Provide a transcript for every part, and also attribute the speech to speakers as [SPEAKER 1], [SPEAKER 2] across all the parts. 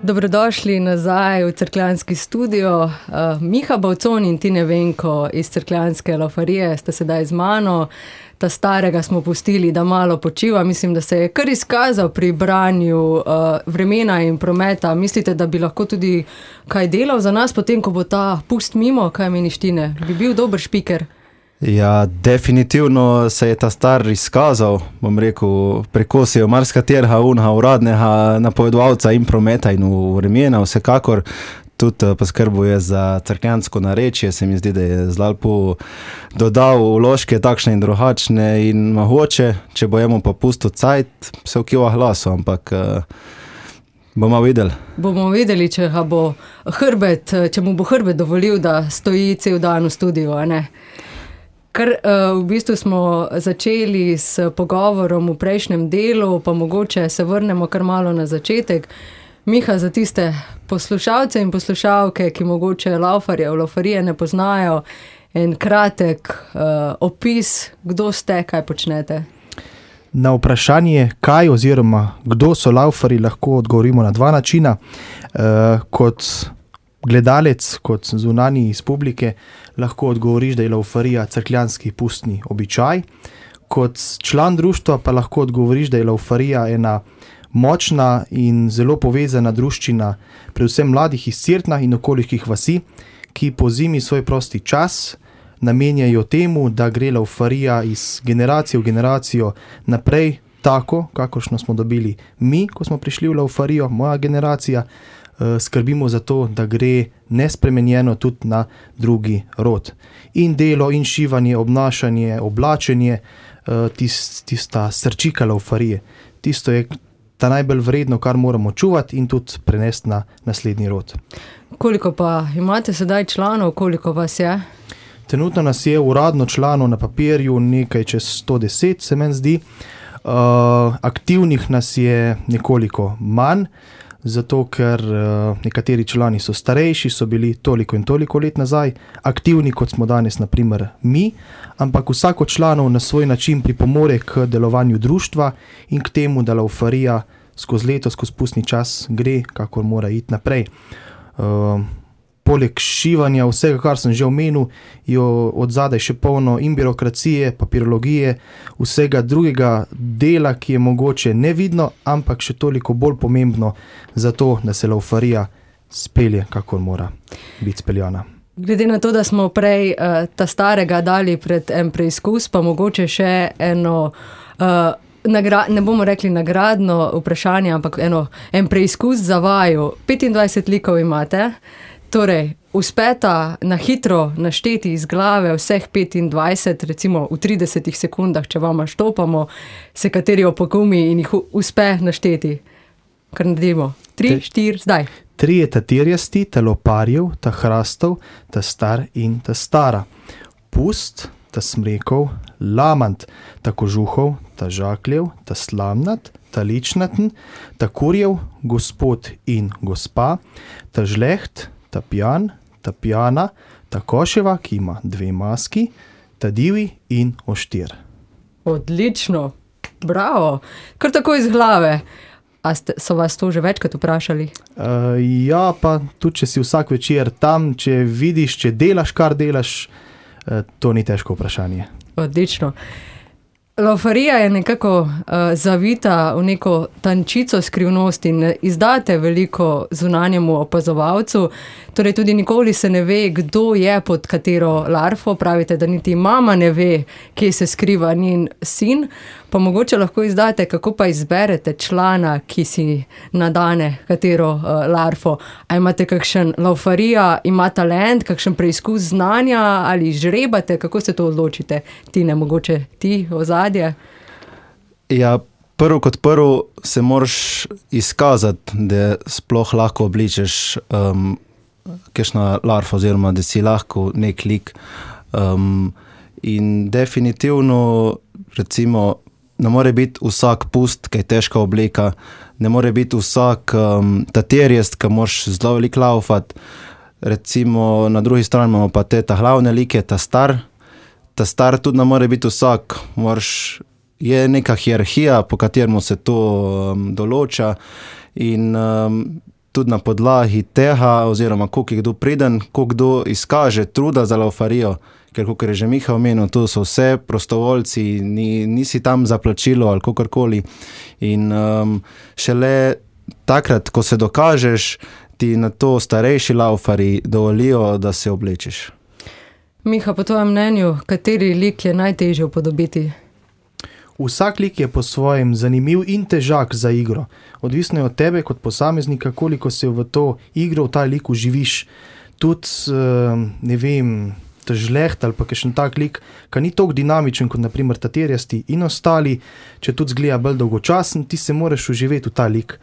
[SPEAKER 1] Dobrodošli nazaj v Cerkljanski studio. Miha Bavcon in Tine Venko iz Cerkljanske laufarije sta sedaj z mano. Ta starega smo pustili, da malo počiva. Mislim, da se je kar izkazal pri branju vremena in prometa. Mislite, da bi lahko tudi kaj delal za nas, potem ko bo ta pust mimo? Kaj meniš, Tine? Bi bil dober špiker?
[SPEAKER 2] Ja, definitivno se je ta star izkazal, bom rekel, prekosil marskaterega unha uradnega napovedovalca in prometa in vremena, vsekakor tudi poskrbuje za cerkljansko narečje, se mi zdi, da je zelo dodal vložke takšne in drugačne in mogoče, če bojemo pa pusto cajt, se vkiva glasu, ampak bomo videli.
[SPEAKER 1] Bomo videli, če mu bo hrbet dovolil, da stoji cel dan v studiu, a ne? Kar v bistvu smo začeli s pogovorom v prejšnjem delu, pa mogoče se vrnemo kar malo na začetek. Miha, za tiste poslušalce in poslušalke, ki mogoče laufarije ne poznajo, en kratek opis, kdo ste, kaj počnete?
[SPEAKER 3] Na vprašanje, kaj oziroma kdo so laufarji, lahko odgovorimo na dva načina. Kot gledalec, kot zunanji iz publike, lahko odgovoriš, da je laufarija cerkljanski pustni običaj. Kot član društva pa lahko odgovoriš, da je laufarija ena močna in zelo povezana druščina, predvsem mladih iz Cerkna in okoliških vasi, ki po zimi svoj prosti čas namenjajo temu, da gre laufarija iz generacije v generacijo naprej, tako, kakršno smo dobili mi, ko smo prišli v laufarijo, moja generacija, skrbimo za to, da gre nespremenjeno tudi na drugi rod. In delo, in šivanje, obnašanje, oblačenje, tista srčika laufarije. Tisto je ta najbolj vredno, kar moramo čuvati in tudi prenesti na naslednji rod. Koliko
[SPEAKER 1] pa imate sedaj članov, koliko vas je?
[SPEAKER 3] Trenutno nas je uradno članov na papirju nekaj čez 110, se meni zdi. Aktivnih nas je nekoliko manj, zato ker nekateri člani so starejši, so bili toliko in toliko let nazaj, aktivni kot smo danes, na primer mi, ampak vsako članov na svoj način pripomore k delovanju društva in k temu, da laufarija skozi leto, skozi pustni čas gre, kakor mora iti naprej. Poleg šivanja, vsega, kar sem že omenil, je odzadaj še polno in birokracije, papirologije, vsega drugega dela, ki je mogoče nevidno, ampak še toliko bolj pomembno za to, da se laufarija spelje, kakor mora biti speljana.
[SPEAKER 1] Glede na to, da smo prej ta starega dali pred en preizkus, pa mogoče še eno, ne bomo rekli nagradno vprašanje, ampak en preizkus za vaju. 25 likov imate. Torej, uspeta na hitro našteti iz glave vseh 25, recimo v 30 sekundah, če vama štopamo, se kateri opogumi in jih uspe našteti. Kar naredimo. 3, 4, zdaj.
[SPEAKER 3] 3 je ta tirjasti, ta loparjev, ta hrastov, ta star in ta stara. Pust, ta smrekov, lamant, ta kožuhov, ta žakljev, ta slamnat, ta ličnaten, ta kurjev, gospod in gospa, ta žleht, ta pijan, ta pijana, ta koševa, ki ima 2 maski, ta divi in oštir.
[SPEAKER 1] Odlično, bravo, kar tako iz glave. A so vas to že večkrat vprašali?
[SPEAKER 3] Ja, pa tudi če si vsak večer tam, če vidiš, če delaš, kar delaš, to ni težko vprašanje.
[SPEAKER 1] Odlično. Laufarija je nekako zavita v neko tančico skrivnosti in izdate veliko zunanjemu opazovalcu, torej tudi nikoli se ne ve, kdo je pod katero larfo, pravite, da niti mama ne ve, kje se skriva njen sin, pa mogoče lahko izdate, kako pa izberete člana, ki si nadane katero larfo. A imate kakšen laufarija, ima talent, kakšen preizkus znanja ali žrebate, kako se to odločite? Tine, mogoče ti ozadje?
[SPEAKER 2] Ja, prvo kot prvo se moraš izkazati, da sploh lahko obličeš kakšna larfa oziroma da si lahko nek lik. In definitivno, recimo, ne more biti vsak pust, ki je težka oblika, ne more biti vsak taterjest, ki moraš zelo veliko laufati. Recimo, na drugi strani imamo pa te ta glavne like, ta star tudi ne more biti vsak, je neka hierarhija, po kateremu se to določa in tudi na podlagi tega, oziroma koliko je kdo priden, koliko kdo izkaže truda za laufarijo, ker kot je že Miha omenil, to so vse prostovoljci, nisi tam za plačilo ali kakorkoli. In šele takrat, ko se dokažeš, ti na to starejši laufari dovolijo, da se oblečeš.
[SPEAKER 1] Miha, po tvojem mnenju, kateri lik je najtežje upodobiti?
[SPEAKER 3] Vsak lik je po svojem zanimiv in težak za igro. Odvisno je od tebe kot posameznika, koliko se v to igro, v ta lik uživiš. Tudi, ne vem, žleht ali pa kakšen tak lik, ki ni toliko dinamičen kot naprimer taterjasti in ostali, če tudi zgleda bolj dolgočasen, ti se moraš uživeti v ta lik.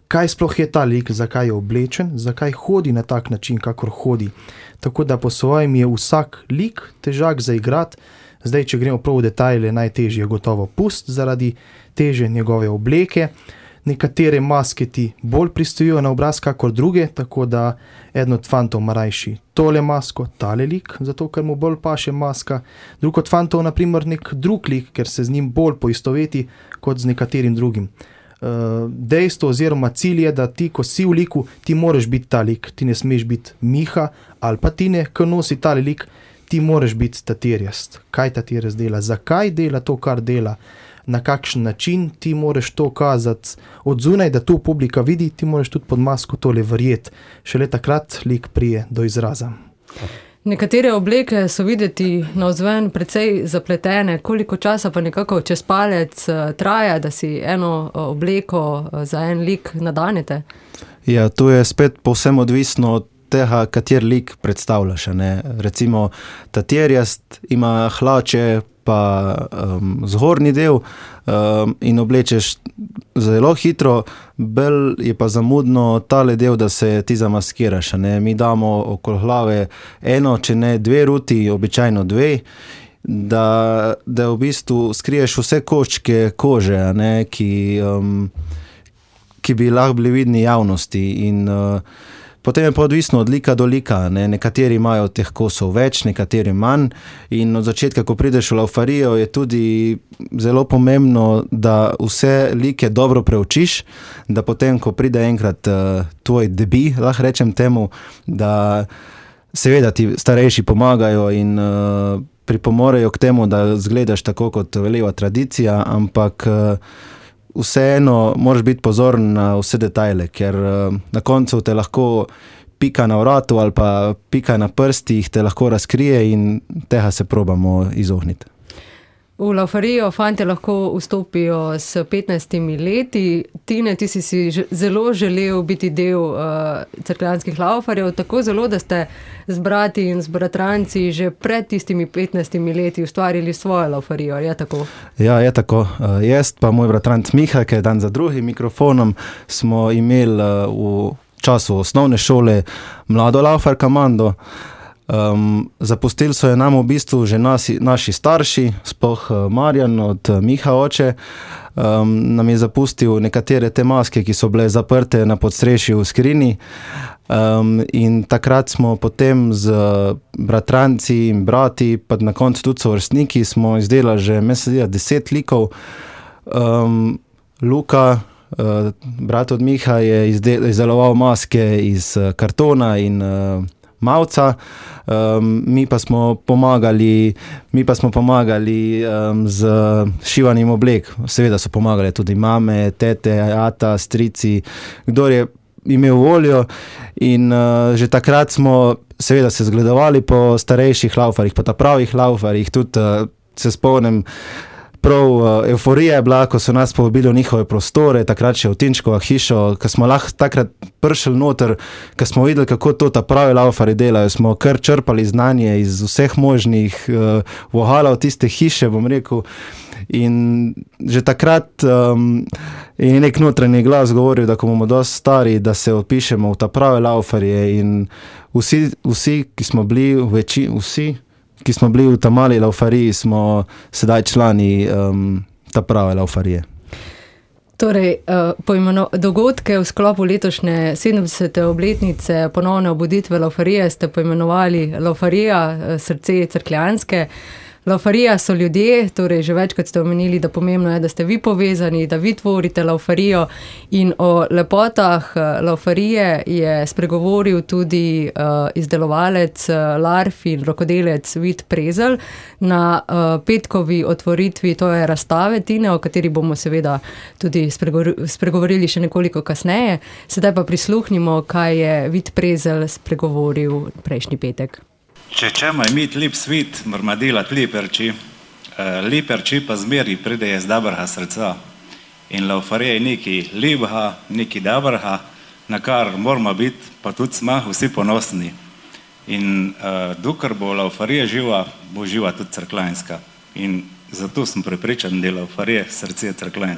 [SPEAKER 3] Kaj sploh je ta lik, zakaj je oblečen, zakaj hodi na tak način, kakor hodi. Tako da po svojem je vsak lik težak za igrati. Zdaj, če gremo prav v detajle, najtežje je gotovo Pust zaradi teže njegove obleke. Nekatere maske ti bolj pristojijo na obraz kakor druge, tako da eden od fantov ima rajši tole masko, tale lik, zato ker mu bolj paše maska. Drug od fantov, naprimer, nek drug lik, ker se z njim bolj poistoveti kot z nekaterim drugim. Dejstvo oziroma cilj je, da ti, ko si v liku, ti moraš biti ta lik. Ti ne smeš biti Miha ali pa Tine, ko nosi tale lik, ti moraš biti taterjast. Kaj taterjast dela? Zakaj dela to, kar dela? Na kakšen način ti moraš to kazati od zunaj, da tu publika vidi, ti moraš tudi pod masko tole verjeti. Šele takrat lik prije do izraza.
[SPEAKER 1] Nekatere obleke so videti navzven precej zapletene. Koliko časa pa nekako čez palec traja, da si eno obleko za en lik nadanete?
[SPEAKER 2] Ja, to je spet povsem odvisno od tega, kater lik predstavljaš. Ne? Recimo, taterjast ima hlače pa zgornji del in oblečeš zelo hitro, bolj je pa zamudno tale del, da se ti zamaskiraš. Ne? Mi damo okoli glave eno, če ne dve ruti, običajno dve, da v bistvu skriješ vse koščke kože, ne? Ki bi lahko bili vidni javnosti. In potem je pa odvisno od lika do lika. Ne? Nekateri imajo teh kosov več, nekateri manj. In od začetka, ko prideš v laufarijo, je tudi zelo pomembno, da vse like dobro preučiš, da potem, ko pride enkrat tvoj debi, lahko rečem temu, da seveda ti starejši pomagajo in pripomorejo k temu, da zgledaš tako, kot veleva tradicija, ampak vseeno moraš biti pozoren na vse detajle, ker na koncu te lahko pika na vratu ali pa pika na prstih te lahko razkrije in tega se probamo izogniti.
[SPEAKER 1] V laufarijo fantje lahko vstopijo s 15 leti. Tine, ti si zelo želel biti del cerkljanskih laufarjev, tako zelo, da ste z brati in z bratranci že pred tistimi 15 leti ustvarili svojo laufarijo, je tako? Ja,
[SPEAKER 2] je tako. Jaz pa moj bratranc Miha, ki je dan za drugim mikrofonom, smo imeli v času osnovne šole mlado laufar komando. Zapustili so je nam v bistvu že naši starši, sploh Marjan od Miha oče, nam je zapustil nekatere te maske, ki so bile zaprte na podstrešju v skrini, in takrat smo potem z bratranci in brati, pa na koncu tudi sovrstniki, smo izdelali že 10 likov. Luka, brat od Miha, je izdeloval maske iz kartona in mavca, mi pa smo pomagali z šivanjem oblek. Seveda so pomagale tudi mame, tete, ata, strici, kdor je imel voljo, in že takrat smo seveda se zgledovali po starejših laufarjih, po ta pravih laufarjih. Tudi se spomnim, prav euforija je bila, ko so nas povabili v njihove prostore, takrat še v Tinčkova hišo, ko smo lahko takrat prišli noter, ko smo videli, kako to ta pravi laufarji delajo, smo kar črpali znanje iz vseh možnih vohalov tiste hiše, bom rekel. In že takrat je nek notranji glas govoril, da ko bomo dosti stari, da se odpišemo v ta prave laufarje, in vsi, ki smo bili v ta mali laufariji, smo sedaj člani ta prave laufarije.
[SPEAKER 1] Torej, dogodke v sklopu letošnje 70. obletnice ponovne obuditve laufarije ste poimenovali Laufarija, srce cerkljanske. Laufarija so ljudje, torej že večkrat ste omenili, da pomembno je, da ste vi povezani, da vi tvorite Laufarijo in o lepotah Laufarije je spregovoril tudi izdelovalec larv in rokodelec Vid Prezelj na petkovi otvoritvi toje razstave Tine, o kateri bomo seveda tudi spregovorili še nekoliko kasneje. Sedaj pa prisluhnimo, kaj je Vid Prezelj spregovoril prejšnji petek.
[SPEAKER 4] Če ćemo imeti lep svet, moramo delati lepe reči. Lepe reči pa zmeri pridejo iz dobrega srca. In Laufarija je nekaj lepega, nekaj dobrega, na kar moramo biti, pa tudi smo vsi ponosni. In dokler bo Laufarija živa, bo živa tudi Cerkljanska. In zato sem prepričan, da je Laufarija srce Cerkljanske.